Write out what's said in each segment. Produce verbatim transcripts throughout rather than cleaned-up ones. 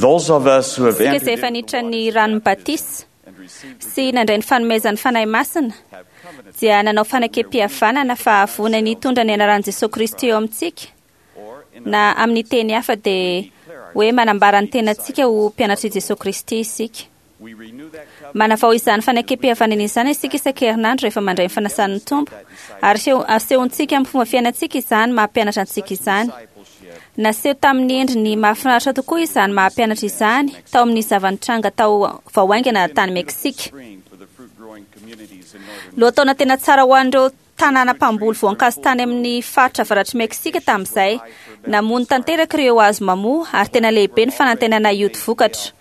Those of us who have Isika entered izay efa into niditra the ny waters ranon'ny batisa and received the sy nandray ny fanomezan'ny Fanahy Masina have covenanted dia nanao fanekempihavanana fa vonona ny hitondra ny anaran'i Jesosy Kristy eo amintsika, or in na amin'ny teny hafa dia hoe manambara ny tenantsika ho mpianatr'i Jesosy Kristy isika. we renew that covenant Manavao izany fanekempihavanana izany isika isan-kerinandro rehefa mandray ny fanasan'ny Tompo, ary seho- asehontsika amin'ny fomba fiainantsika izany maha-mpianatra antsika izany. discipleship Naseho tamin'ny endriny mahafinaritra tokoa izany maha-mpianatra izany tao amin'ny zava-nitranga tao vao haingana tany Meksika. spring for the fruit growing communities in northern Lohataona tena tsara ho an'ireo tanàna mpamboly voankazo tany amin'ny faritra avaratr'i Meksika tamin'izay. Namono tanteraka ireo hazo mamoa ary tena lehibe ny fanantenana hioty vokatra.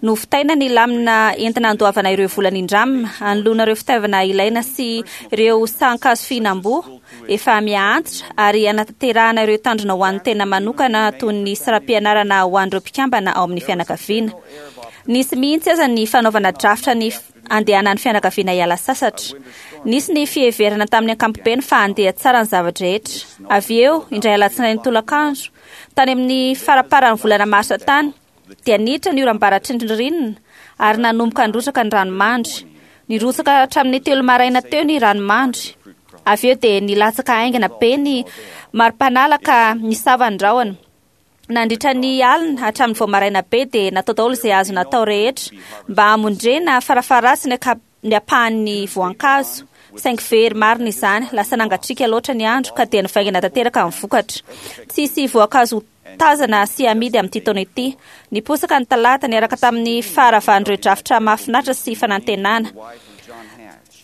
Novitaina ny lamina entina andoavana ireo vola nindramina, anoloana ireo fitaovana ilaina sy ireo sahan-kazo fihinam-boa efa miha-antitra ary anatanterahana ireo tanjona ho an'ny tena manokana toy ny saram-pianarana ho an'ireo mpikambana ao amin'ny fianakaviana. Nisy mihitsy aza ny fanaovana drafitra ny f- andehanan'ny fianakaviana hiala sasatra. Nisy ny fiheverana tamin'ny ankapobeny fa handeha tsara ny zava-drehetra. Avy eo, indray alatsinainy tolakandro, tany amin'ny faramparan'ny volana marsa tany, dia niditra ny oram-baratry ny ririnina ary nanomboka nirotsaka ny ranomandry. Nirotsaka hatramin'ny telo maraina teo ny ranomandry. Avy eo dia nilatsaka haingana be ny mari-panala ka nisava ny rahona. Nandritra ny alina hatramin'ny vao maraina be dia natao daholo izay azo natao rehetra mba hamondrena farafaharatsiny ny aka- ny ampahan'ny voankazo. Saingy very marina izany, lasa nangatsiaka loatra ny andro ka dia nivaingana tanteraka ny vokatra. Tsisy voankazo tazana sy amidy amin'ity taona ity. Niposaka ny talata niaraka tamin'ny faharavan'ireo drafitra mahafinaritra sy fanantenana. wife of John Hatch.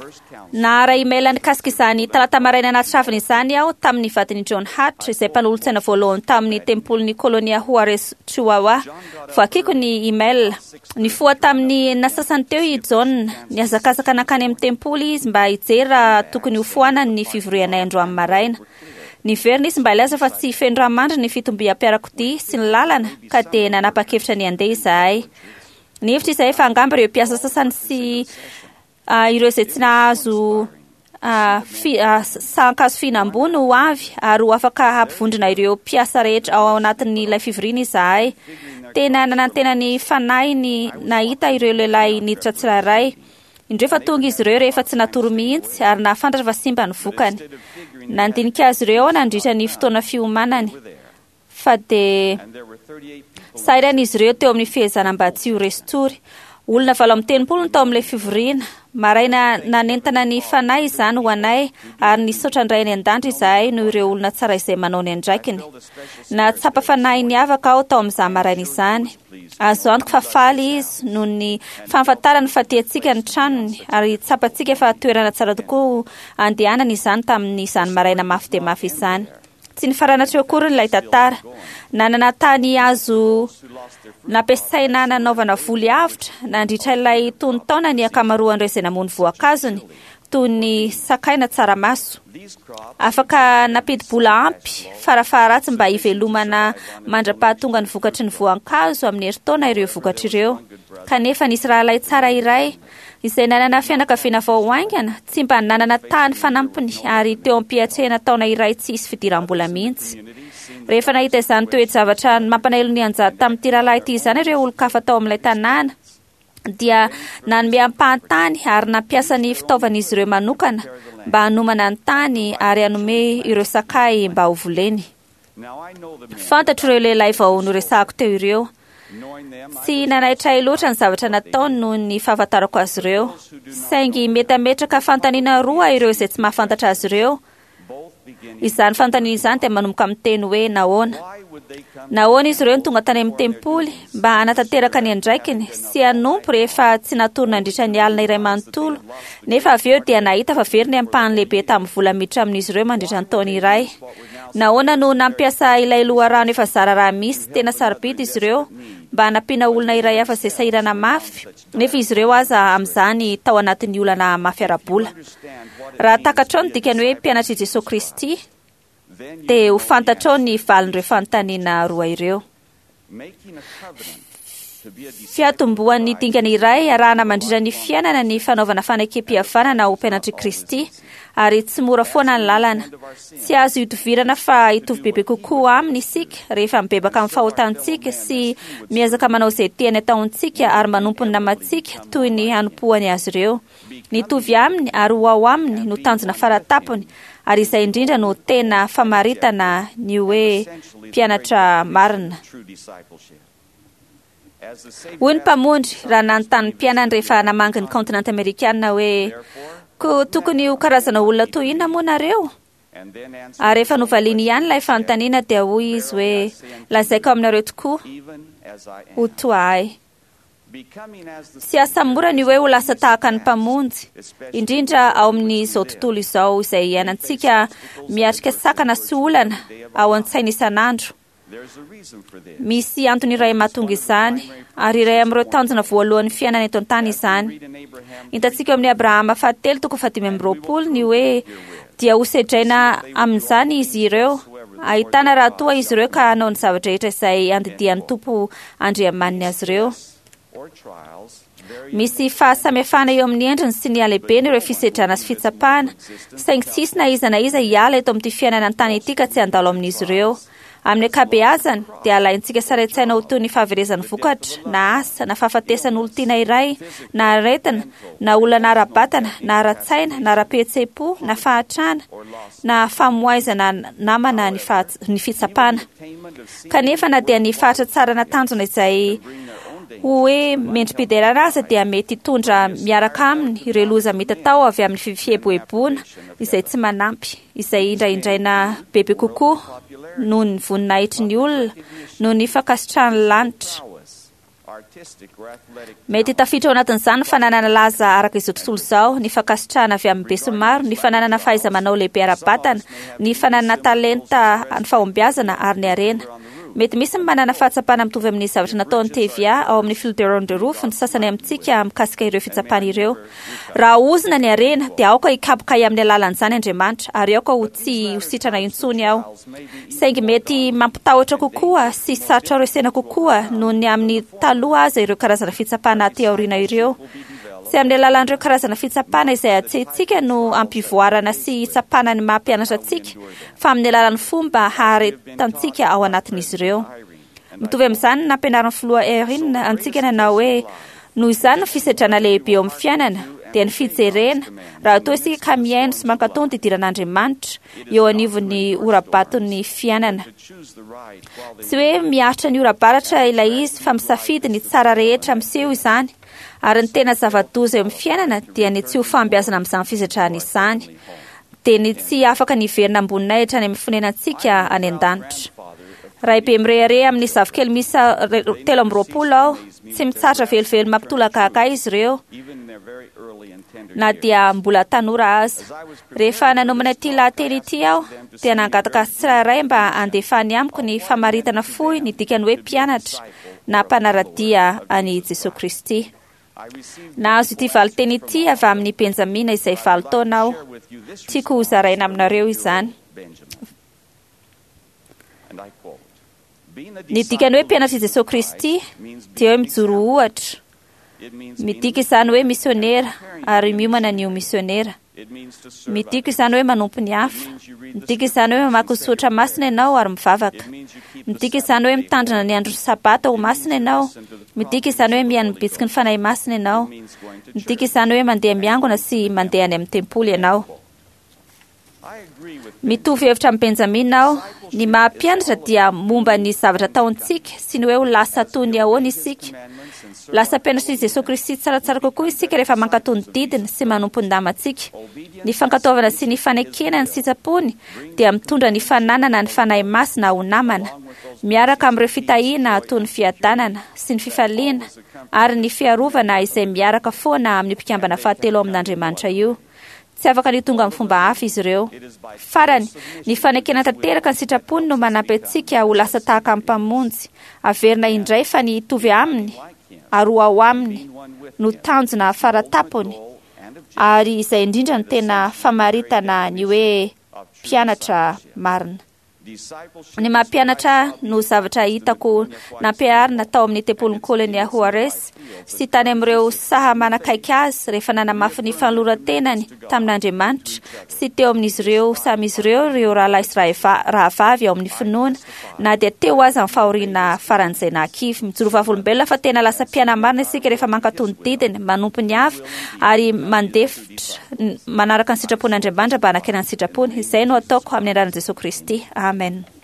First counsel Naharay email nikasika izany talata maraina nahatravina izany aho tamin'ny vadin'i John Hatch izay mpanolotsaina voalohany tamin'ny tempolin'ny kolonia Juarez Chihuahua. Voakiko ny email. Nifoha tamin'ny nasasany teo i John. Nihazakazaka nankany amin'ny tempoly izy mba hijery raha tokony hofoanany ny fivorianay androany maraina. Niverina izy mba hilaza fa tsy feno ranomandry ny fitombiam-piarakodia sy ny lalana ka dia nanapa-kevitra ny handeha izahay. Nihevitra izahay fa angamba ireo mpiasa sasany sy ah, ireo izay tsy nahazo ah, fi- ah, sahan-kazo fihinam-boa no ho avy ary ho afaka hampivondrona ireo mpiasa rehetra ao anatin'ilay fivoriana izahay. Tena nanantena ny fanahiny nahita ireo lehilahy niditra tsirairay. Indreo fa tonga izy ireo rehefa tsy natory mihitsy ary nahafantatra fa simba ny vokany. Nandinika azy ireo aho nandritra ny fotoana fiomanany fa dia and there were thirty-eight people sahirana izy ireo teo amin'ny fihezana mba tsy ho resin-tory. Olona valo amby telopolo no tao amin'ilay fivoriana. Maraina nanentana ny fanahy izany ho anay ary nisaotra ny Ray any an-danitra izahay noho ireo olona tsara izay manao ny andraikiny. Nahatsapa fanahy niavaka aho tao amin'izany maraina izany. Azo antoka fa faly izy noho ny fahafantarany fa tiantsika ny tranony ary tsapantsika fa toerana tsara tokoa andehanana izany tamin'izany maraina mafy dia mafy izany. Tsy nifarana hatreo akory ilay tantara. Nanana tany azo nampiasaina nanaovana voly avotra nandritra ilay tonon-taona ny ankamaroan'ireo izay namono voankazony toy ny sakay na tsaramaso. these crops Afaka nampidi-bola ampy farafaharatsy mba hivelomana mandra-pahatonga ny vokatry ny voankazo amin'ny herintaona ireo vokatra ireo. Kanefa nisy rahalahy tsara iray izay nanana fianakaviana vao haingana, tsy mba nanana tany fanampiny ary teo am-piatrehana taona iray tsy hisy fidiram-bola mihitsy. Rehefa nahita izany toe-javatra mampalahelo nianjady tamin'ity rahalahy ity izany ireo olon-kafa tao amin'ilay tanàna dia nanome ampahantany ary nampiasa ny fitaovan'izy ireo manokana mba hanomana ny tany ary hanome ireo sakay mba ho voleny. Now I know the men. Fantatro ireo lehilahy vao noresahako teo ireo. Knowing them, I Tsy nanaitra ahy loatra ny zavatra nataony noho ny fahafantarako azy ireo. Saingy mety hametraka fanontaniana roa ireo izay tsy mahafantatra azy ireo. both beginning. Izany fanontaniana izany dia manomboka amin'ny teny hoe nahoana. Why would they come Nahoana izy ireo no tonga tany amin'ny tempoly mba hanatanteraka ny andraikiny sy hanompo rehefa tsy natory nandritra ny alina iray manontolo, nefa avy eo dia nahita fa very ny ampahany lehibe tamin'ny vola miditra amin'izy ireo mandritra ny taona iray. Nahoana no nampiasa ilay loharano efa zara raha misy tena sarobidy izy ireo mba hanampiana olona iray hafa izay sahirana mafy, nefa izy ireo aza amin'izany tao anatin'ny olana mafy ara-bola. understand what it Raha means takatrao to ny be a dikany hoe disciple mpianatr'i Jesosy Kristy, then you dia ho know the fantatrao ny answer. valin'ireo fanontaniana roa ireo. Making a covenant to be a disciple of Fiatombohan'ny Christ dingana iray arahana mandritra ny fiainana ny fanaovana fanekempihavanana ho mpianatr'i Kristy ary tsy mora foana ny lalana. Tsy azo idovirana fa hitovy bebe kokoa aminy isika rehefa mibebaka amin'ny fahotantsika sy miezaka manao izay tiany ataontsika ary manompo ny namantsika toy ny hanompoany azy ireo. Nitovy aminy ary ho ao aminy no tanjona faratapony, ary izay indrindra no tena famaritana ny hoe mpianatra marina. Hoy ny Mpamonjy raha nanontany ny mpianany rehefa namangy ny kaontinanta amerikana hoe ko tokony ho karazana olona toy inona moa nareo? Ary rehefa novaliany ihany ilay fanontaniana dia hoy izy hoe lazaiko aminareo tokoa ho toa ahy. Tsy asa mora ny hoe ho lasa tahaka ny Mpamonjy, indrindra ao amin'izao tontolo izao izay iainantsika miatrika sakana sy olana ao an-tsaina isan'andro. Misy antony iray mahatonga izany, ary iray amin'ireo tanjona voalohan'ny fiainana eto an-tany izany. Hitantsika eo amin'ny Abrahama fahatelo toko fahadimy amby roapolo ny hoe dia hosedraina amin'izany izy ireo, ahitana raha toa izy ireo ka hanao ny zavatra rehetra izay andidian'ny Tompo Andriamaniny azy ireo. Misy fahasamihafana eo amin'ny endriny sy ny halehibeny ireo fisedrana sy fitsapana, saingy tsy hisy na iza na iza hiala eto amin'ity fiainana an-tany ity ka tsy handalo amin'izy ireo. Amin'ny ankabeazany dia alaintsika sary an-tsaina ho toy ny fahaverezan'ny vokatra, na asa, na fahafatesan'olon-tiana iray, na aretina, na olana ara-batana, na ara-tsaina, na ara-pihetseham-po, na fahatrana, na famoizana namana ny faha- ny fitsapana. Kanefa na dia ny fahatratsarana tanjona izay ho hoe mendri-piderana aza dia mety hitondra miaraka aminy ireo loza mitatao avy amin'ny fieboeboana izay tsy manampy, izay indraindraina bebe kokoa noho ny voninahitry ny olona, noho ny fankasitrahan'ny lanitra. Mety tafiditra ao anatin'izany ny fananana laza araka izao tontolo izao, ny fankasitrahana avy amin'ny besinimaro, ny fananana fahaiza-manao lehibe ara-batana, ny fananana talenta ny fahombiazana ary ny harena. Mety misy ny manana fahatsapana mitovy amin'ny zavatra nataon'ny T V A ao amin'ny Fielder on the Roof ny sasany amintsika mikasika ireo fitsapana ireo. Raha ozona ny harena dia aoka hikapoka ahy amin'ny alalan'izany Andriamanitra, ary aoka ho tsy ho sitrana intsony aho. Saingy mety mampitahotra kokoa sy sarotra resena kokoa noho ny amin'ny taloha aza ireo karazana fitsapana aty aoriana ireo. Tsy amin'ny alalan'ireo karazana fitsapana izay atsehintsika no ampivoarana sy hitsapana ny maha mpianatra antsika, fa amin'ny alalan'ny fomba haharetantsika ao anatin'izy ireo. Mitovy amin'izany ny nampianarin'ny filoha Eyring antsika nanao hoe noho izany ny fisedrana lehibe eo amin'ny fiainana dia ny fijerena raha toa isika ka mihaino sy mankatò ny didiran'Andriamanitra eo anivon'ny ora-baton'ny fiainana. Tsy hoe miaritra ny ora-baratra ilay izy fa misafidy ny tsara rehetra miseho izany, ary ny tena zava-doza eo amin'ny fiainana dia ny tsy ho fahombiazana amin'izany fisedrana izany, dia ny tsy afaka ny hiverina amboninahitra any amin'ny fonenantsika any an-danitra. Ray be mirehareha amin'ny zafikely miisa telo amby roapolo aho, tsy mitsahatra velively mampitolagaga izy ireo na dia mbola tanora aza. Rehefa nanomana ity lahateny ity aho dia nangataka azy tsirairay mba handefany amiko ny famaritana fohy ny dikany hoe mpianatra na mpanara-dia an'i Jesoa Kristy. Nahazo ity valinteny ity avy amin'ny Benjamina izay valo taona aho. Tiako hozaraina aminareo izany. Ny dikany hoe mpianatr'i Jesoa Kristy dia hoe mijoro ohatra. Midika izany hoe misionera ary miomana ny ho misionera. Midika izany hoe manompo ny hafa. Midika izany hoe mamaky ny soratra masina ianao ary mivavaka. Midika izany hoe mitandrina ny andro sabata ho masina ianao. Midika izany hoe mihaino ny bitsiky ny Fanahy Masina ianao. Midika izany hoe mandeha miangona sy mandeha any amin'ny tempoly ianao. Mitovy hevitra amin'i Benjamina aho. Ny maha mpianatra dia momba ny zavatra ataontsika sy ny hoe ho lasa toy ny ahoana isika. Lasa mpianatr'i Jesoa Kristy tsaratsara kokoa isika rehefa mankatò ny didiny sy manompo ny namantsika. Ny fankatoavana sy ny fanekena ny sitrapony dia mitondra ny fananana ny Fanahy Masina ho namana, miaraka amin'ireo fitahiana toy ny fiadanana sy ny fifaliana ary ny fiarovana izay miaraka foana amin'ny mpikambana fahatelo amin'Andriamanitra io. Tsy afaka ny tonga amin'ny fomba hafa izy ireo. Farany, ny fanekena tanteraka ny sitrapony no manampy antsika ho lasa tahaka amin'ny Mpamonjy. Averina indray fa ny hitovy aminy ary ho ao aminy no tanjona faratapony, ary izay indrindra no tena famaritana ny hoe mpianatra marina. Ny mampianatra no zavatra hitako nampiharina tao amin'ny tempolin'i Colonia Juarez sy tany amin'ireo saha manakaiky azy rehefa nanamafy ny fanoloran-tenany tamin'Andriamanitra sy teo amin'izy ireo samy izy ireo ireo rahalahy sy rahavavy ao amin'ny finoana, na dia teo aza ny fahoriana faran'izay nahakivy. Mijoro vavolombelona fa tena lasa mpiana-marina isika rehefa mankatò ny didiny, manompo ny hafa ary mandefitra manaraka ny sitrapon'Andriamanitra mba hanakena ny sitrapony. Izay no ataoko amin'ny anaran'i Jesosy Kristy. Amen.